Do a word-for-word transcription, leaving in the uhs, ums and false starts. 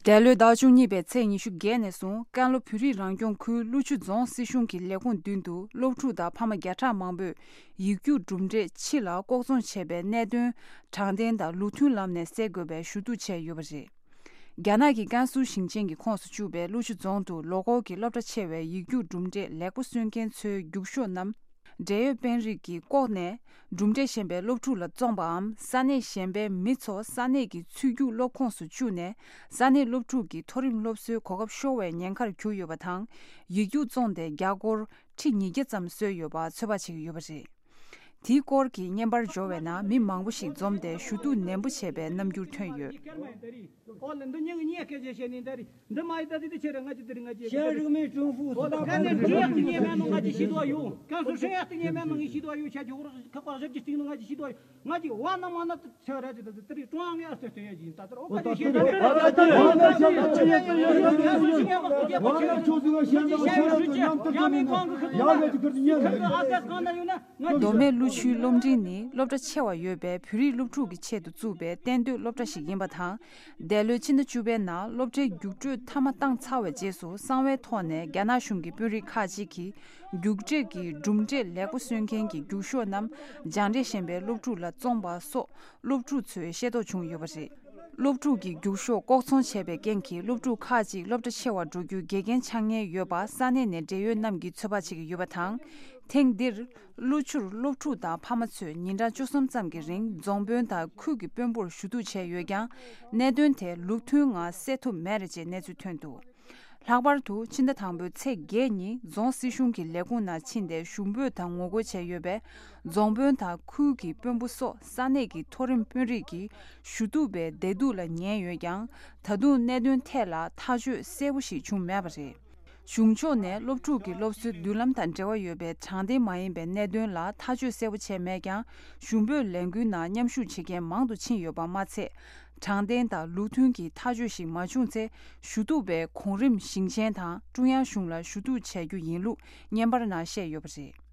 འདས་ལོའི་ཟླ་བ་བཅུ་གཉིས་པའི་ཚེས་ཉི་ཤུ་བརྒྱད་ནས་བཟུང་ཀན་ལྷོ་བོད་རིགས་རང་སྐྱོང་ཁུལ་ཀླུ་ཆུ་རྫོང་སྲིད་གཞུང་གི་ལས་ཁུངས་མདུན་དུ་སློབ་ཕྲུག་དང་ཕ་མ་བརྒྱ་ཕྲག་མང་པོས་ཡིག་རྒྱུགས་གྲུབ་འབྲས་ཕྱི་ལ་ལྐོག་ཚོང་བྱས་པའི་གནད་དོན་དྲང་བདེན་དང་ལུགས་མཐུན་ལམ་ནས་སེལ་དགོས་པའི་ཞུ་གཏུག་བྱས་ཡོད་པ་རེད། རྒྱ་ནག་གི་ཀན་སུའུ་ཞིང་ཆེན་གྱི་ཁོངས་སུ་བཅུག་པའི་ཀླུ་ཆུ་རྫོང་དུ་ལོ་འཁོར་གྱི་སློབ་གྲྭ་ཆེ་བའི་ཡིག་རྒྱུགས་གྲུབ་འབྲས་ལེགས་པོ་སོན་མཁན་ཚོའི་རྒྱུགས་ཤོག་རྣམས་འབྲེལ་ཡོད་དཔོན་རིགས་ཀྱིས་བཀོག་ནས། གྲུབ་འབྲས་ཞན་པའི་སློབ་ཕྲུག་ལ་བཙོངས་པའམ་ས་གནས་གཞན་པའི་མི་ཚོ་ས་གནས་ཀྱི་ཆུ་རྒྱུག་སློབ་ཁོངས་སུ་བཅུག་ནས་ས་གནས་སློབ་ཕྲུག་གི་མཐོ་རིམ་སློབ་གསོའི་གོ་སྐབས་ཤོར་བའི་ཉེན་ཁར་གྱུར་ཡོད་པ་དང་། ཡིག་རྒྱུགས་བཙོངས་ཏེ་རྒྱ་སྒོར་ཁྲི་ཉིས་བརྒྱ་ཙམ་བཟོས་ཡོད་པ་ཚོད་དཔག་བྱེད་ཀྱི་ཡོད་པ་རེད། དེའི་སྐོར་གྱི་བརྙན་པར་འབྱོར་བའི་ནང་མི་མང་པོ་ཞིག་འཛོམས་ཏེ་ཞུ་གཏུག་ནན་པོ་བྱས་པའི་རྣམ་འགྱུར་ཐོན་ཡོད། ཨོ་ལེ་འདི་ཉིན་གཉིས་སྐད་ཆ་བཤད་ནི་འདི་རེད། འདི་མ་ཡི་ད་དེ་དེ་ཆེ་རེད། ང་ཅི་དེ་རེད། ང་ཅི་ཤ་རིགས་མའི་ཀྲུང་ཧྥུ་ཨོ་ལེ་ག་ནས་འདི་ཡག་ཏུ་ཉེ་མེད་ནང་ང་ཅི་ཤི་དོ་ཡོད། ཀན་སུའུ་ཧྲེང་ཡག་ཏུ་ཉེ་མེད་ནང་ངི་ཤི་དོ་ཡོད། ཆ་ཅི་ཧོར་ཁ་པར་ཞབས་ཀྱི་སྟེང་ནང་ང་ཅི་ཤི་དོ་ཡོད། ང་ཅི་བ་ན་མ་ན་དུ་ཆ་ར་ཅི་ད་དེ་དེ་རེད། ཀྲུང་དབྱང་ངས་ཨ་སྟེ་སྟེ་ཡ་ཅི་ད་དེ་ཨོ་ཁ་ཅི་ཤེས་ད་དེ་ཡ་མི་གང་གི་ཁ་ཁ་ཨ་ཀ་གང་ན་ཡོད་ན། མདོ་སྨད་ཀླུ་ཆུའི་སློབ་འབྲིང་ནི་སློབ་གྲྭ་ཆེ་བ་ཡོད་པའི་བོད་རིགས་སློབ་ཕྲུག་གི་ཆེད་དུ་བཙུགས་པའི་གཏན་སྡོད་སློབ་གྲྭ་ཞིག་ཡིན་པ་དང་། འདས་ལོའི་ཕྱི་ཟླ་བཅུ་པའི་ནང་སློབ་གྲྭའི་རྒྱུགས་སྤྲོད་མཐའ་མ་བཏང་ཚར་བའི་རྗེས་སུ་གསང་བའི་ཐོག་ནས་རྒྱ་ནག་གཞུང་གི་དཔོན་རིགས་ཁག་ཅིག་གིས་རྒྱུགས་སྤྲོད་ཀྱི་གྲུབ་འབྲས་ལེགས་པོ་སོན་མཁན་གྱི་རྒྱུགས་ཤོག་རྣམས་སྦྱང་འབྲས་ཞན་པའི་སློབ་ཕྲུག་ལ་བཙོངས་པ་སོགས་སློབ་ཕྲུག་ཚོས་ཤེས་རྟོགས་བྱུང་ཡོད་པ་རེད། སློབ་ཕྲུག་གི་རྒྱུགས་ཤོག་ལྐོག་ཚོང་བྱས་པའི་རྐྱེན་གྱིས་སློབ་ཕྲུག་ཁག་ཅིག་སློབ་གྲྭ་ཆེ་བར་འགྲོ་རྒྱུའི་འགལ་རྐྱེན་ཆགས་ཉེན་ཡོད་པ་ས་གནས་ནས་འབྲེལ་ཡོད་རྣམས་ཀྱིས་ཚོད་དཔག་བྱེད་ཀྱི་ཡོད་པ་དང་། ཐེངས་འདིར་ཀླུ་ཆུར་སློབ་ཕྲུག་དང་ཕ་མ་ཚོས་ཉིན་གྲངས་བཅུ་གསུམ་ཙམ་གྱི་རིང་རྫོང་དཔོན་དང་ཁུལ་གྱི་དཔོན་པོར་ཞུ་གཏུག་བྱས་ཡོད་ཀྱང་། གནད་དོན་དེ་ལུགས་མཐུན་ངང་སེལ་ཐུབ་མེད་རེད་ཅེས་གནས་ཚུལ་ཐོན་འདུག་ལྷག་པར་དུ་ཕྱི་ཟླ་དང་པོའི་ཚེས་བརྒྱད་ཉིན་རྫོང་སྲིད་གཞུང་གི་ལས་ཁུངས་ནང་ཕྱིན་ཏེ་ཞུ་འབོད་དང་ངོ་རྒོལ་བྱས་ཡོད་པས། རྫོང་དཔོན་དང་ཁུལ་གྱི་དཔོན་པོ་སོགས་ས་གནས་ཀྱི་མཐོ་རིམ་དཔོན་རིགས་ཀྱིས་ཞུ་གཏུག་པའི་བདེ་སྡུག་ལ་ཉན་ཡོད་ཀྱང་། ད་དུང་གནད་དོན་ཐད་ལ་ཐག་གཅོད་གསལ་པོ་ཞིག་བྱུང་མེད་པ་རེད། གཞུང་ཕྱོགས་ནས་སློབ་ཕྲུག་གི་སློབ་གསོའི་མདུན་ལམ་དང་འབྲེལ་བ་ཡོད་པའི་དྲང་བདེན་མ་ཡིན་པའི་གནད་དོན་ལ་ཐག་གཅོད་གསལ་པོ་བྱས་མེད་ཀྱང་། ཞུ་འབོད་ལས་འགུལ་ནང་མཉམ་ཞུགས་བྱེད་མཁན་མང་དུ་ཕྱིན་ཡོད་པ་མ་ཚད། དྲང་བདེན་དང་ལུགས་མཐུན་གྱི་ཐག་གཅོད་ཞིག་མ་བྱུང་ཚེ། ཞུ་གཏུག་པས་གོང་རིམ་ཞིང་ཆེན་དང་ཀྲུང་དབྱང་གཞུང་ལ་ཞུ་གཏུག་བྱ་རྒྱུ་ཡིན་ལུགས་བརྙན་པར་ནང་བཤད་ཡོད་པ་རེད།